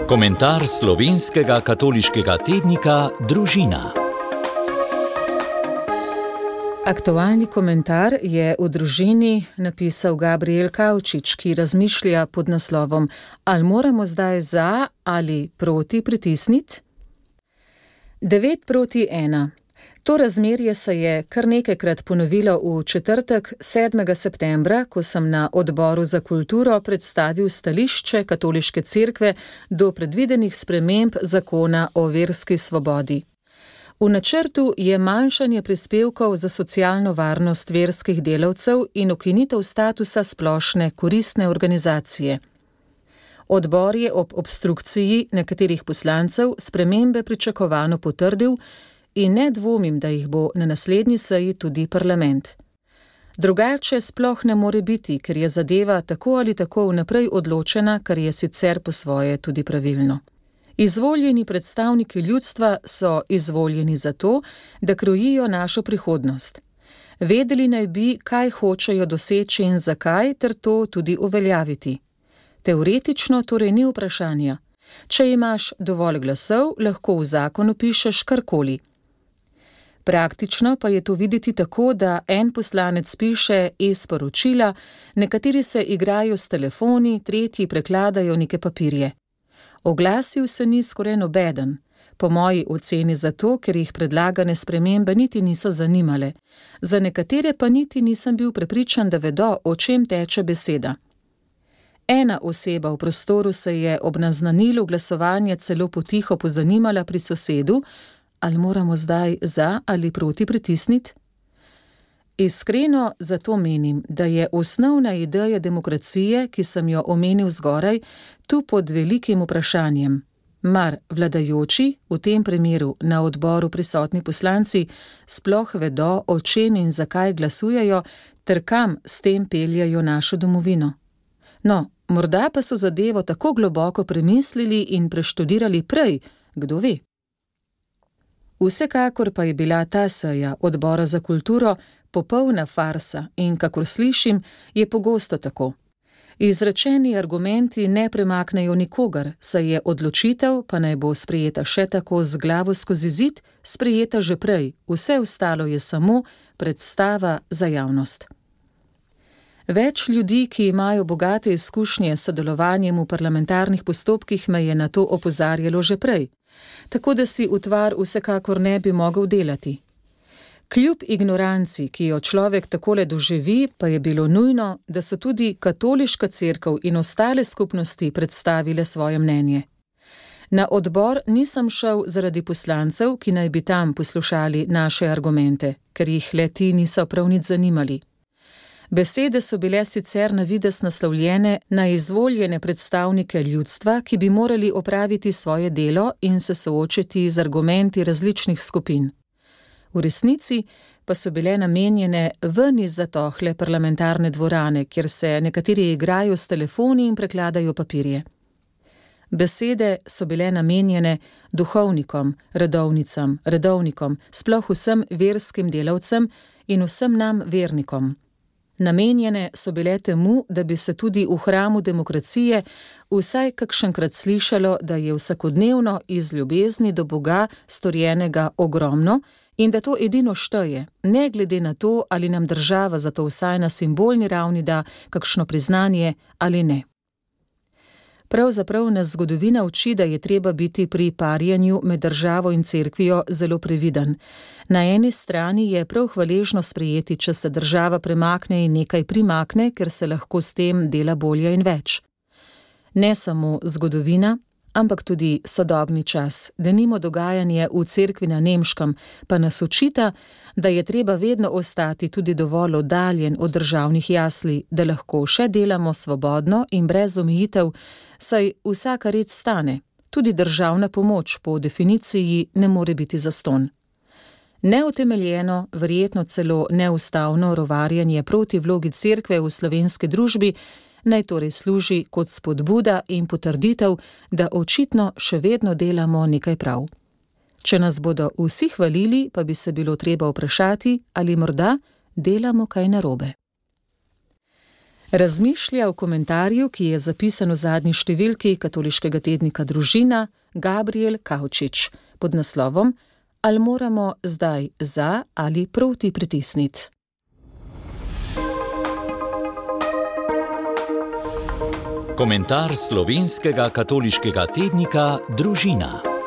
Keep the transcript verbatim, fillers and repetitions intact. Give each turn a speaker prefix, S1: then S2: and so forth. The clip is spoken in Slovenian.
S1: Komentar slovenskega katoliškega tednika Družina.
S2: Aktualni komentar je v Družini napisal Gabriel Kavčič, ki razmišlja pod naslovom: Ali moramo zdaj za ali proti pritisniti? devet proti ena. To razmerje se je kar nekajkrat ponovilo v četrtek, sedmega septembra, ko sem na Odboru za kulturo predstavil stališče Katoliške cerkve do predvidenih sprememb zakona o verski svobodi. V načrtu je manjšanje prispevkov za socialno varnost verskih delavcev in ukinitev statusa splošne koristne organizacije. Odbor je ob obstrukciji nekaterih poslancev spremembe pričakovano potrdil in ne dvomim, da jih bo na naslednji seji tudi parlament. Drugače sploh ne more biti, ker je zadeva tako ali tako vnaprej odločena, kar je sicer po svoje tudi pravilno. Izvoljeni predstavniki ljudstva so izvoljeni zato, da krojijo našo prihodnost. Vedeli naj bi, kaj hočejo doseči in zakaj, ter to tudi uveljaviti. Teoretično torej ni vprašanja. Če imaš dovolj glasov, lahko v zakonu pišeš karkoli. Praktično pa je to videti tako, da en poslanec piše e-sporočila, nekateri se igrajo s telefoni, tretji prekladajo neke papirje. Oglasil se ni skoraj nobeden, po moji oceni zato, ker jih predlagane spremembe niti niso zanimale. Za nekatere pa niti nisem bil prepričan, da vedo, o čem teče beseda. Ena oseba v prostoru se je ob naznanilu glasovanja celo potiho pozanimala pri sosedu, ali moramo zdaj za ali proti pritisniti? Iskreno zato menim, da je osnovna ideja demokracije, ki sem jo omenil zgoraj, tu pod velikim vprašanjem. Mar vladajoči, v tem primeru na odboru prisotni poslanci, sploh vedo, o čem in zakaj glasujejo, ter kam s tem peljajo našo domovino? No, morda pa so zadevo tako globoko premislili in preštudirali prej, kdo ve. Vsekakor pa je bila ta seja Odbora za kulturo popolna farsa in, kakor slišim, je pogosto tako. Izrečeni argumenti ne premaknejo nikogar, saj je odločitev, pa naj bo sprejeta še tako z glavo skozi zid, sprejeta že prej, vse ostalo je samo predstava za javnost. Več ljudi, ki imajo bogate izkušnje s sodelovanjem v parlamentarnih postopkih, me je na to opozarjalo že prej, tako da si utvar vsekakor ne bi mogel delati. Kljub ignoranci, ki jo človek takole doživi, pa je bilo nujno, da so tudi Katoliška cerkev in ostale skupnosti predstavile svoje mnenje. Na odbor nisem šel zaradi poslancev, ki naj bi tam poslušali naše argumente, ker jih le ti niso prav nič zanimali. Besede so bile sicer na videz naslovljene na izvoljene predstavnike ljudstva, ki bi morali opraviti svoje delo in se soočiti z argumenti različnih skupin. V resnici pa so bile namenjene ven iz zatohle parlamentarne dvorane, kjer se nekateri igrajo s telefoni in prekladajo papirje. Besede so bile namenjene duhovnikom, redovnicam, redovnikom, sploh vsem verskim delavcem in vsem nam vernikom. Namenjene so bile temu, da bi se tudi v hramu demokracije vsaj kakšenkrat slišalo, da je vsakodnevno iz ljubezni do Boga storjenega ogromno in da to edino šteje, ne glede na to, ali nam država zato vsaj na simbolni ravni da kakšno priznanje ali ne. Pravzaprav nas zgodovina uči, da je treba biti pri parjanju med državo in cerkvijo zelo previden. Na eni strani je prav hvaležno sprejeti, če se država premakne in nekaj primakne, ker se lahko s tem dela bolje in več. Ne samo zgodovina, ampak tudi sodobni čas, denimo dogajanje v cerkvi na Nemškem, pa nas učita, da je treba vedno ostati tudi dovolj oddaljen od državnih jasli, da lahko še delamo svobodno in brez omejitev, saj vsaka red stane, tudi državna pomoč po definiciji ne more biti zastonj. Neutemeljeno, verjetno celo neustavno rovarjanje proti vlogi cerkve v slovenski družbi naj torej služi kot spodbuda in potrditev, da očitno še vedno delamo nekaj prav. Če nas bodo vsi hvalili, pa bi se bilo treba vprašati, ali morda delamo kaj narobe. Razmišlja v komentarju, ki je zapisan v zadnji številki katoliškega tednika Družina, Gabriel Kavčič pod naslovom Ali moramo zdaj za ali proti pritisniti?
S1: Komentar slovenskega katoliškega tednika Družina.